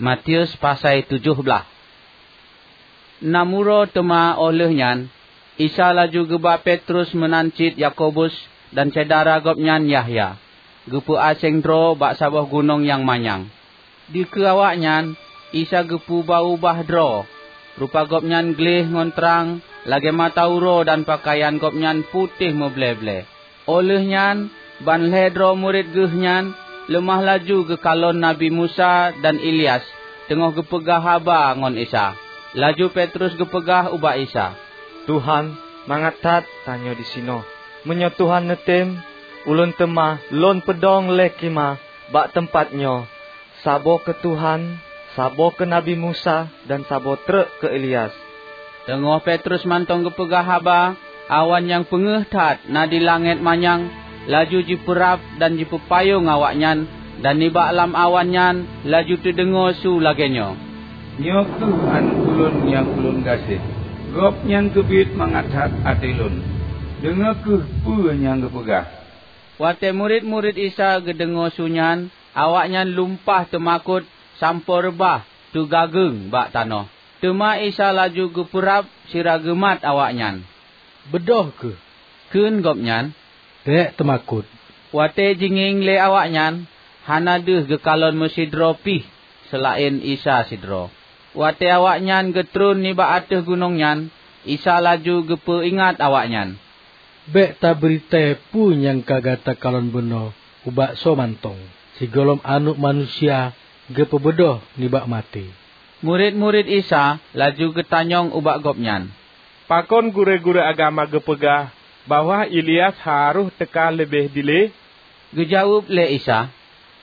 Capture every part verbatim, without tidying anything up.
Matius pasai tujoh blaih. Nam uroe teuma óh lheueh nyan, Isa laju geuba Petrus meunan cit Yakobus dan syedara gobnyan Yahya, geupeuaséng droe bak saboh gunong nyang manyang. Dikeue awaknyan, Isa geupeuba-ubah droe. Rupa Gobnyan gleh ngon trang lagée mata uroe dan peukayan Gobnyan putéh meuble-ble. Óh lheueh nyan, ban lhée droe murit Geuh nyan leumah laju geukalon Nabi Musa dan Ilyas teungoh geupeugah haba ngon Isa. Laju Petrus geupeugah ubak Isa, "Tuhan, mangat that tanyoe disinoe. Meunyoe Tuhan neutem, ulôn teuma lôn peudong lé khimah bak teumpat nyoe, saboh keu Tuhan, saboh keu Nabi Musa, dan saboh treuk keu Ilyas." Teungoh Petrus mantong geupeugah haba, awan nyang peungeuh that na di langét manyang laju jipeurab dan jipeupayong awaknyan, dan nibak lam awan nyan laju teudeungoe su lagée nyoe, "Nyoe kheueh Aneuëk Ulôn nyang Ulôn gaséh. Gobnyan keubiet mangat that até Lôn. Deungoe kheueh peue nyang geupeugah." Watée murit-murit Isa geudeungoe su nyan, awaknyan lumpah teumakot sampoe reubah teugageueng bak tanoh. Teuma Isa laju geupeurab sira geumat awaknyan. "Beudôh kheueh," kheun Gobnyan, "bék teumakot." Watée jingieng lé awaknyan, hana deuh geukalon meusidroe pih seulaén Isa sidroe. Watée awaknyan geutreun nibak ateueh gunong nyan, Isa laju geupeu ingat awaknyan, "Bék tabri tée peue nyang ka gata kalon bunoe ubak soe mantong, sigohlom Aneuëk Manusia geupeubeudôh nibak maté." Murit-murit Isa laju geutanyong ubak Gobnyan, "Pakon gurée-gurée agama geupeugah bahwa Ilyas harôh teuka leubeh dilée?" Geujaweueb lé Isa,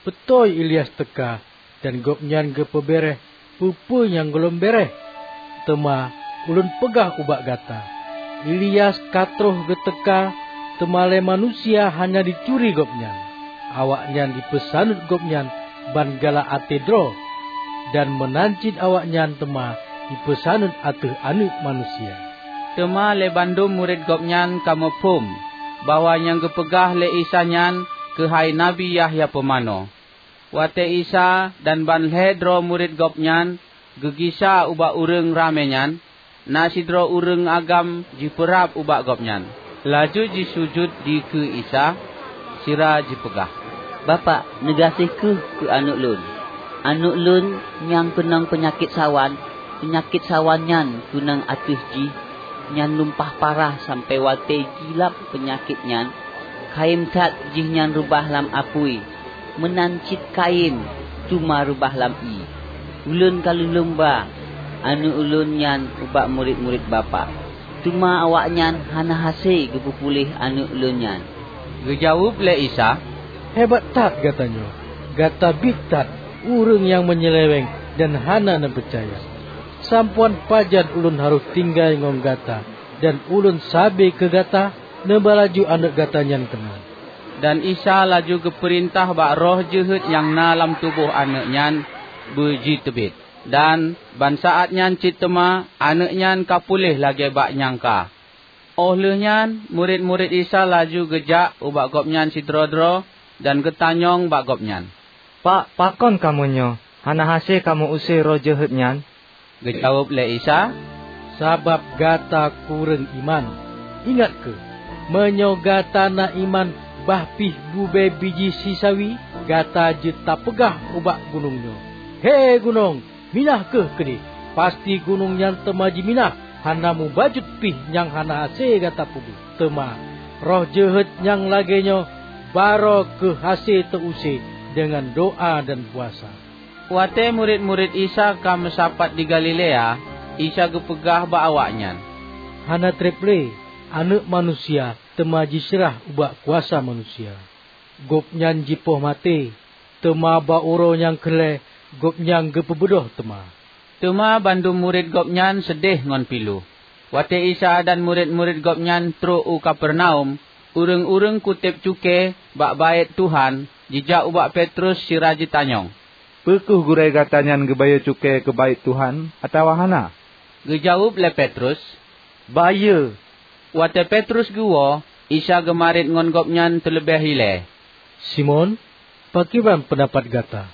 "Beutôi Ilyas teuka dan gobnyan geupeubéréh peue-peue nyang gohlom béréh. Teuma Ulôn peugah ubak gata, Ilyas ka troh geuteuka, teuma lé manusia hana jituri gobnyan. Awaknyan jipeusaneut gobnyan ban galak até droe, dan meunan cit awaknyan teuma jipeusaneut ateueh Aneuëk Manusia." Teuma lé bandum murit Gobnyan ka muphom bahwa nyang geupeugah lé Isa nyan keuhai Nabi Yahya Pumanö. Watée Isa dan ban lhée droe murit Gobnyan geugisa ubak ureuëng ramé nyan, na sidroe ureuëng agam jipeurab ubak Gobnyan, laju jisujut dikeue Isa, sira jipeugah, "Bapak, neugaséh kheueh keu aneuëk lôn. Aneuëk lôn nyang keunong peunyakét sawan, peunyakét sawan nyan keunong ateueh jih nyan lumpah parah sampoe watée jilap peunyakét nyan, kayém that jihnyan reubah lam apui, meunan cit kayém teuma reubah lam ié. Ulôn ka lôn lôn ba aneuëk ulôn nyan ubak murit-murit Bapak, teuma awaknyan hana hase geupeupuléh aneuëk ulôn nyan." Geujaweueb lé Isa, "Hebat that gata nyoe! Gata biet that ureuëng nyang meunyeuléwéng dan hana neupeucaya! Sampoe pajan Ulôn harôh tinggai ngon gata dan Ulôn sabe keu gata? Neuba laju aneuëk gata nyan keunoe." Dan Isa laju geupeurintah bak roh jeuhet nyang na lam tuboh aneuëk nyan beujiteubiet, dan ban saát nyan cit teuma aneuëk nyan ka puléh lagée bak nyang ka. Óh lheueh nyan, murit-murit Isa laju geujak ubak Gobnyan sidroe-droe dan geutanyong bak Gobnyan, "Pak, pakon kamoe nyoe hana hase kamoe use roh jeuhet nyan?" Geujaweueb lé Isa, "Sabab gata kureueng iman. Ingat kheueh, meunyoe gata na iman bah pih bubée biji sisawi, gata jeuet tapeugah ubak gunong nyoe, 'He gunong, minah kheueh keudeh!' Pasti gunong nyan teuma jiminah, hana mubacut pih nyang hana hase gata peubuet. Teuma roh jeuhet nyang lagée nyoe barô kheueh hase teu-use deungon doá dan puasa." Watée murit-murit Isa ka meusapat di Galilea, Isa geupeugah bak awaknyan, "Hana treb lé Aneuëk Manusia teuma jiseurah ubak kuasa manusia. Gobnyan jipoh maté, teuma bak uroe nyang keu lhée Gobnyan geupeubeudôh teuma." Teuma bandum murit Gobnyan seudeh ngon pilu. Watée Isa dan murit-murit Gobnyan trok u Kapernaum, ureuëng-ureuëng kutéb cukée bak Baét Tuhan jijak ubak Petrus sira jitanyong, "Peu kheueh gurée gata nyan geubayeue cukée keu Baét Tuhan atawa hana?" Geujaweueb lé Petrus, "Bayeue." Watée Petrus geuwoe, Isa geumarit ngon gobnyan teuleubeh ilée, "Simon, pakriban peundapat gata?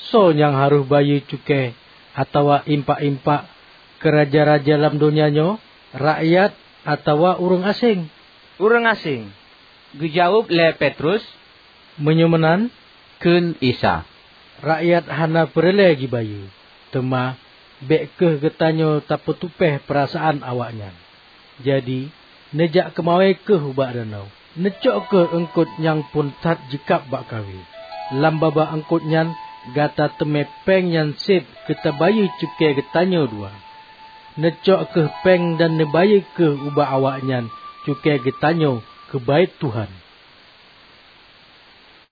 "Soe nyang harôh bayeue cukée atawa impak-impak keu raja-raja lam donya nyoe, rakyat atawa ureuëng aséng?" "Ureuëng aséng," geujaweueb lé Petrus. "Meunyoe meunan," kheun Isa, "rakyat hana peureulée jibayeue. Teuma bék kheueh geutanyoe tapeutupéh peurasaan awaknyan. Jadi, neujak keumawé kheueh ubak danau. Neucok kheueh eungkot nyang phon that jikab bak kawé. Lam babah eungkot nyan gata teumé péng nyang seb keu tabayeue cukée geutanyoe dua. Neucok kheueh péng dan neubayeue kheueh ubak awaknyan cukée geutanyoe keu Baét Tuhan."